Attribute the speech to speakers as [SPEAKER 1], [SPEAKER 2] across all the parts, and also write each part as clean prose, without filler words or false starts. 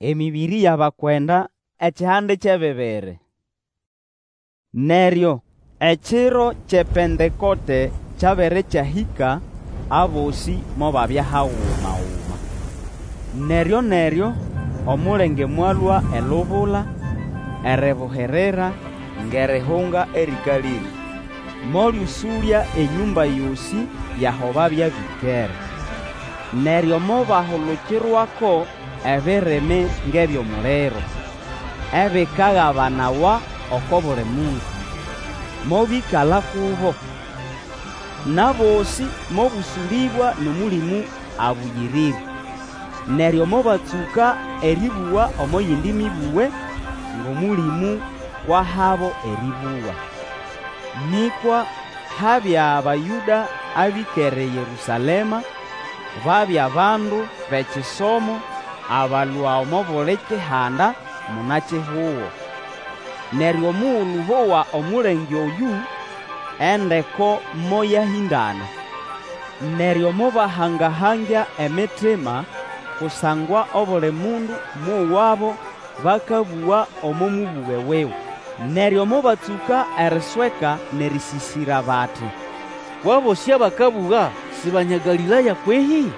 [SPEAKER 1] Emĩbĩrĩ y'abakwenda ekihande ky'ebibiri. Neryo ekiro ky'ePentekote kyabere kyahĩka, abosĩ mobabya haguma-guma. Neryo-neryo omulenge mwalũa elubula, eribuhirira ng'erihunga erĩkalĩre, molyũsũlya enyũmba yosĩ y'aho babya bĩkere. Neryo mobahulukirwako ebirimi ng'eby'omuliro, ebikagabanawa oko buli mundu, mobĩkala kubo. N'abosĩ mobũsũlĩbwa n'Omũlĩmũ Abũyĩrĩre. Neryo mobatsũka erĩbũga omo yindi mĩbũge, ng'Omũlĩmũ kw'ahabo erĩbũga. Nĩkwa habya Bayũda abĩkere eYerũsalema, babya bandu b'ekisomo abalũa omo buli kihanda muna-kihugo. Neryo omugulu bowa omulenge oyũ, endeko moyahĩndana. Neryo mobahanga-hangya emitima, kusangwa obuli mundu mwowabo bakabũga omo mũbũge wuwe. Neryo mobatsũka erisweka n'erĩsĩsĩra bati,
[SPEAKER 2] Kw'abosĩ abakabũga si Banya Galĩlaya kwehĩ?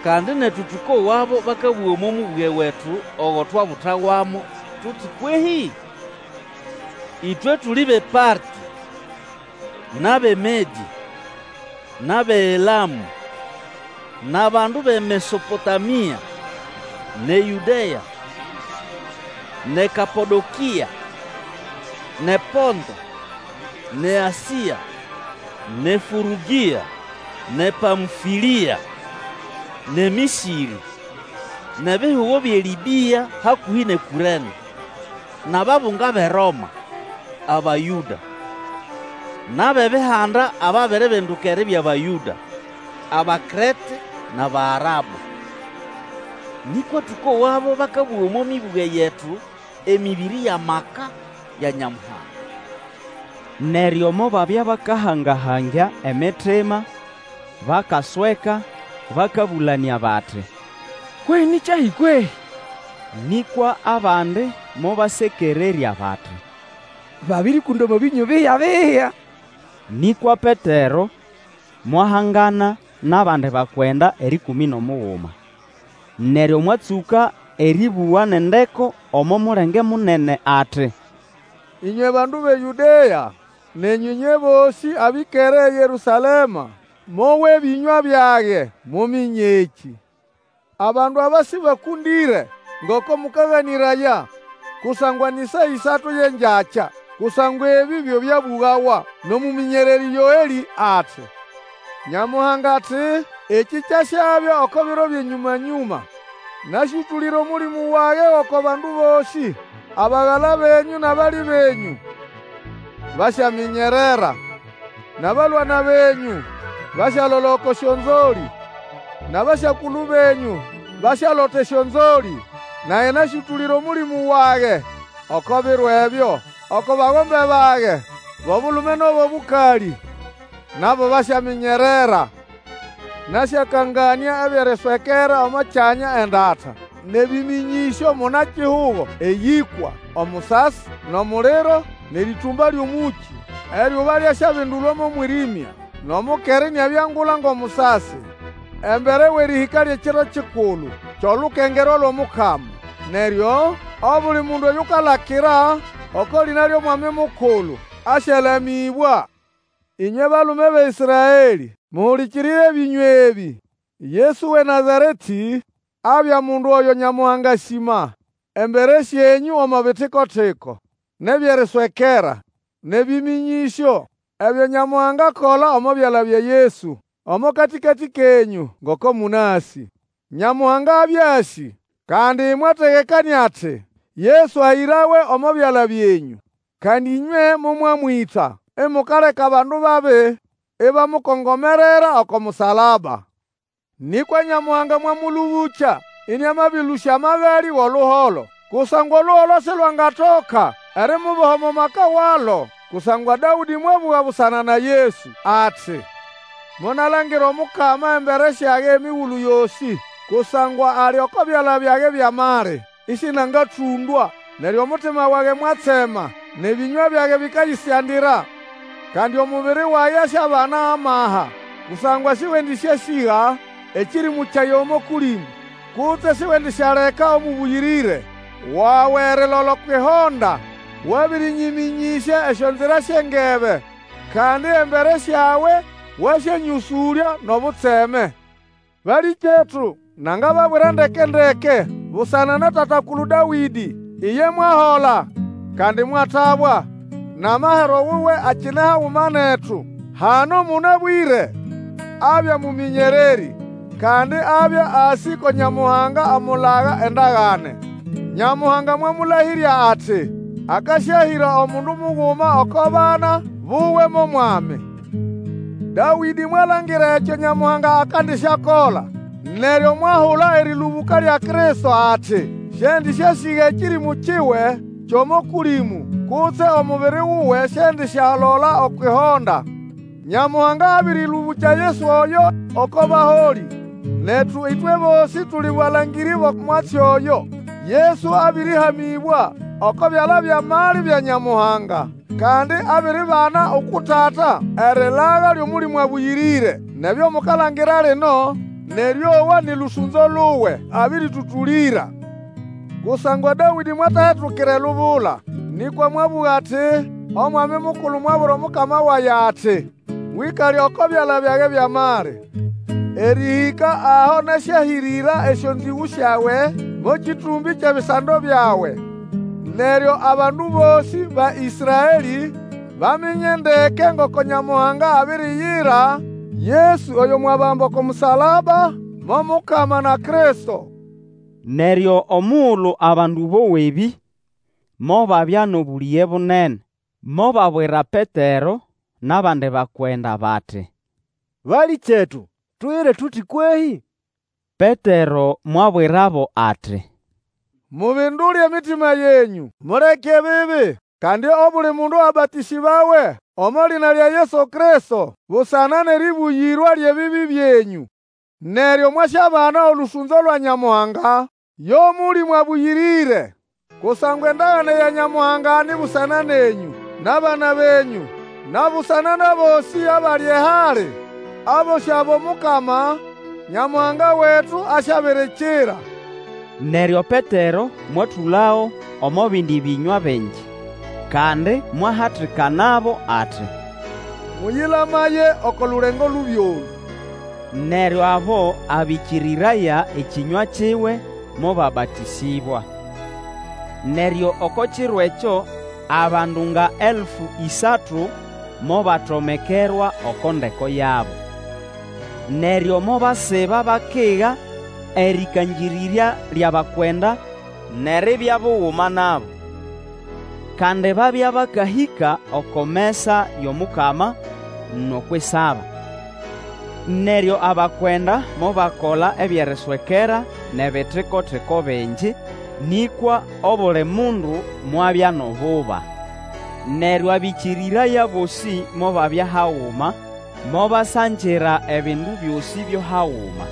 [SPEAKER 2] Kandi netu tũkowabo bakabũga omo mũbũge wetu ogo twabutawamo tuti kwehĩ? Ĩtwe tuli b'ePartĩ, n'ab'eMedĩ, n'ab'eElamũ, n'abandu b'eMesopotamia, n'eYũdea, n'eKapodokĩa, n'ePonto, n'eAsĩa, n'eFũrũgĩa, n'ePamfĩlĩa, n'eMĩsĩrĩ, n'ebihugo by'eLĩbĩa hakũhĩ n'eKũrene, n'ababunga b'eRoma, Abayũda, n'ab'Ebihanda ababiribinduka eribya Bayũda, Abakrete n'Abarabu. Nĩkwa tũkowabo bakabũga omo mĩbũge yetu emĩbĩrĩ y'amaka ya Nyamuhanga.
[SPEAKER 1] Neryo mobabya bakahanga-hangya emitima, bakasweka, bakabũlanĩa bati, Kwehĩ ni kyahi kwehĩ? Nĩkwa abandi mobasekererya bati,
[SPEAKER 3] Babĩrĩkũnda omo bĩnyũ biya-biya.
[SPEAKER 1] Nĩkwa Petero mwahangana n'abandi bakwenda erĩkũmĩ n'omuguma. Neryo mwatsũka erĩbũga n'endeko omo mulenge munene ati,
[SPEAKER 4] Ĩnywe bandu b'eYũdea, nenyũ ĩnywe bosĩ abĩkere eYerũsalema, mowe ebĩnywa byage, muminye ekĩ. Abandu aba sĩbakũndĩre, ngoko mũkaganĩraya, kusangwa nĩ saa ĩsatu y'engyakya. Kusangwa ebĩ byo byabũgawa n'omũmĩnyererĩ Yoelĩ ati, Nyamuhanga ati, Ekĩ kyasyabya oko biro by'enyũma-nyũma, Nasyũtũlĩra Omũlĩmũ wage oko bandu bosĩ. Abagala benyũ n'abali benyũ basyaminyerera, N'abalwana benyũ basyalola oko syonzolĩ, N'abasyakulu benyũ basyalota esyonzolĩ. Nage nasyũtũlĩra Omũlĩmũ wage oko biro ebyo, Oko bagombe bage b'obulume n'ab'obũkalĩ, Nabo basyaminyerera. Nasyakanganĩa eby'eriswekera omo kyanya endata, N'ebĩmĩnyĩsyo muna-kihugo eyĩkwa, Omusasi, n'omuliro, n'erĩtũmba ly'omũkĩ. Eryuba lyasyabindulwa mo mwĩrĩmya, N'omukera iniabya ngula ng'omusasi, Embere w'erĩhĩka ly'ekiro kikulu ky'olukengerwa lw'Omukama. Neryo obuli mundu oyukalakira oko lĩna ly'Omwami Mukulu asyalamĩbwa. Ĩnywe balume b'eĨsraelĩ, mũhũlĩkĩrĩre ebĩnywa ebĩ! Yesu w'eNazaretĩ abya mundu oyo Nyamuhanga asĩma embere syenyũ omo bitiko-tiko, n'eby'eriswekera, n'ebĩmĩnyĩsyo, ebyo Nyamuhanga akola omo byala bya Yesu, omo katĩkatĩ kenyũ, ngoko mũnasĩ. Nyamuhanga abya asĩ, kandi mwategekanĩa ati, Yesu ahĩrawe omo byala byenyũ. Kandi ĩnywe momwamwĩta, imukaleka abandu babi ibamukongomerera oko musalaba. Nĩkwa Nyamuhanga mwamũlũbũkya iniamabĩlũsya amagalĩ w'oluholo, kusangwa oluholo silwangatoka erimuboha omo maka walo. Kusangwa Dawũdĩ mwabũga busana na Yesu ati, Monalangira Omukama embere syage emigulu yosĩ, Kusangwa ali oko byala byage by'amali. isinangatũndwa. Neryo omutima wage mwatsema, n'ebĩnywa byage bĩkayisyandira, Kandi omubiri wage asyabana amaha. Kusangwa sĩwendĩsyasĩga ekĩrĩmũ kyage omo Kũlĩmũ, Kutse siwendisyaleka Omũbũyĩrĩre wawe erilola okw'ihonda. Wabĩrĩnyĩmĩnyĩsya esyonzira sy'engebe, Kandi embere syawe wasyanyũsũlya n'obutseme. Balĩkyetu, nangababwira ndeke-ndeke, busana na tata-kulu Dawĩdĩ, iye mwahola, kandi mwatabwa, n'amahero wuwe akine haguma netu. Hano mũnabwĩre, abya mũmĩnyererĩ, kandi abya asĩ ko Nyamuhanga amulaga endagane. Nyamuhanga mwamũlahĩrya ati, akasyahĩra omundu muguma oko bana buwe mo mwami. Dawĩdĩ mwalangira ekyo Nyamuhanga akandisyakola, neryo mwahula erĩlũbũka lya Kristo ati, Sĩendĩsyasĩga ekĩrĩmũ kiwe ky'omo Kũlĩmũ, kutse omubiri wuwe siendisyalola okw'ihonda. Nyamuhanga abĩrĩlũbũkya Yesu oyo oko baholĩ, netu ĩtwe bosĩ tuli balangĩrĩ b'omwatsi oyo. Yesu abĩrĩhamĩbwa oko byala by'amali bya Nyamuhanga, kandi abiribana uku Tata erilaga ly'Omũlĩmũ Abũyĩrĩre. N'ebyo mukalangira lino n'erĩowa ni lũsũnzo luwe abĩrĩtũtũlĩra. Kusangwa Dawĩdĩ mwatahetukira elubula, nĩkwa mwabũga ati, Omwami Mukulu mwabwira Omukama wage ati, Wĩkale oko byala byage by'amali, Erĩhĩka aho nasyahĩrĩra esyonzĩgũ syawe mo kĩtũmbĩ ky'ebisando byawe. Neryo abandu bosĩ ba Ĩsraelĩ baminya ndeke ngoko Nyamuhanga abiriyira Yesu oyo mwabamba oko musalaba mo Mukama na Kristo.
[SPEAKER 1] Neryo omugulu abandu bowa ebĩ, mobabya n'obũlĩge bunene, mobabwira Petero n'abandi bakwenda bati,
[SPEAKER 5] Balĩkyetu, tuyire tuti kwehĩ?
[SPEAKER 1] Petero mwabwirabo ati,
[SPEAKER 4] Mubindule emitima yenyũ, muleke ebibi, kandi obuli mundu abatĩsĩbawe omo lĩna lya Yesu Kristo busana n'erĩbũyĩrwa ly'ebibi byenyũ. Neryo mwasyabana olũsũnzo lwa Nyamuhanga, yo Mũlĩmũ Abũyĩrĩre. Kusangwa endagane ya Nyamuhanga ni busana nenyũ, n'abana benyũ, na busana n'abosĩ abali ehali, abosĩ abo Mukama, Nyamuhanga wetu asyabirikira.
[SPEAKER 1] Neryo Petero mwatũlago omo bindi bĩnywa bingi, kandi mwahatikanabo ati,
[SPEAKER 4] Mũyĩlamaye oko lulengo lubi olũ.
[SPEAKER 1] Neryo abo abĩkĩrĩraya ekĩnywa kiwe mobabatĩsĩbwa. Neryo oko kiro ekyo abandu nga 3,000 mobatomekerwa oko ndeko yabo. Neryo mobasiba bakiga erĩkangĩrĩrya ly'abakwenda n'eribya buguma nabo. Kandi babya bakahĩka oko mesa y'Omukama n'okw'isaba. Neryo abakwenda mobakola eby'eriswekera n'ebitiko-tiko bingi, nĩkwa obuli mundu mwabya n'obuba. Neryo abĩkĩrĩraya bosĩ mobabya haguma, mobasangira ebindu byosĩ byo haguma.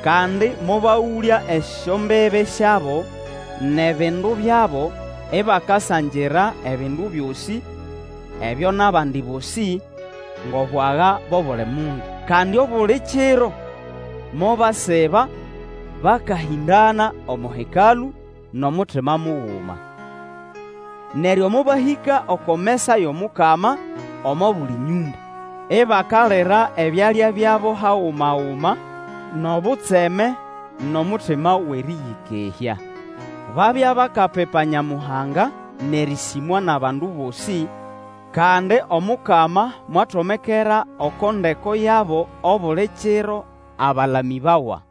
[SPEAKER 1] Kandi mobagũlya esyombibi syabo n'ebindu byabo, ibakasangira ebindu byosĩ ebyo n'abandi bosĩ, ng'obwaga bw'obuli mundu. Kandi obuli kiro mobasiba bakahĩndana omo Hekalũ n'omutima muguma. Neryo mobahĩka oko mesa y'Omukama omo buli nyũmba, ibakalira ebyalya byabo haguma-guma n'obutseme n'omutima w'erĩyĩkehya. Babya bakapipa Nyamuhanga n'erĩsĩmwa n'abandu bosĩ, kandi Omukama mwatomekera oko ndeko yabo obuli kiro abalamĩbawa.